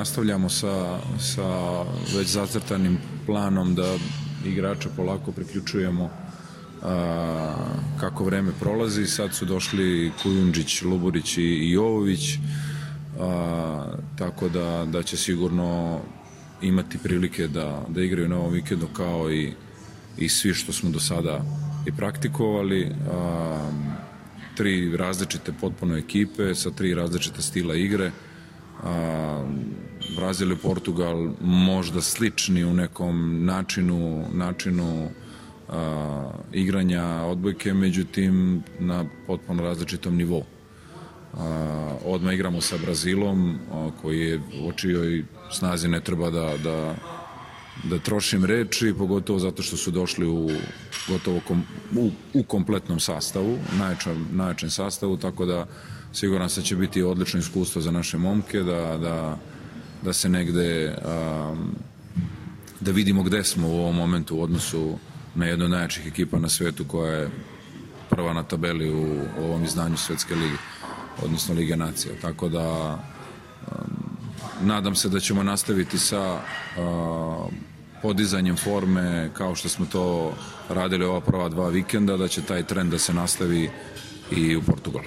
nastavljamo sa već zacrtanim planom da igrače polako priključujemo kako vreme prolazi. Sad su došli Kujundžić, Luburić i Jovović, tako da će sigurno imati prilike da igraju na ovom vikendu kao i svi što smo do sada i praktikovali. Tri različite potpuno ekipe sa tri različite stila igre. Brazil i Portugal možda slični u nekom načinu igranja odbojke, međutim na potpuno različitom nivou. Odmah igramo sa Brazilom, koji je o čijoj snazi ne treba da trošim reči, pogotovo zato što su došli u kompletnom sastavu, najjačem sastavu, tako da siguran se će biti odlično iskustvo za naše momke, da se negde, da vidimo gde smo u ovom momentu u odnosu na jednu od najjačih ekipa na svetu koja je prva na tabeli u ovom izdanju Svetske lige, odnosno Lige nacija. Tako da nadam se da ćemo nastaviti sa podizanjem forme kao što smo to radili ova prva dva vikenda, da će taj trend da se nastavi i u Portugalu.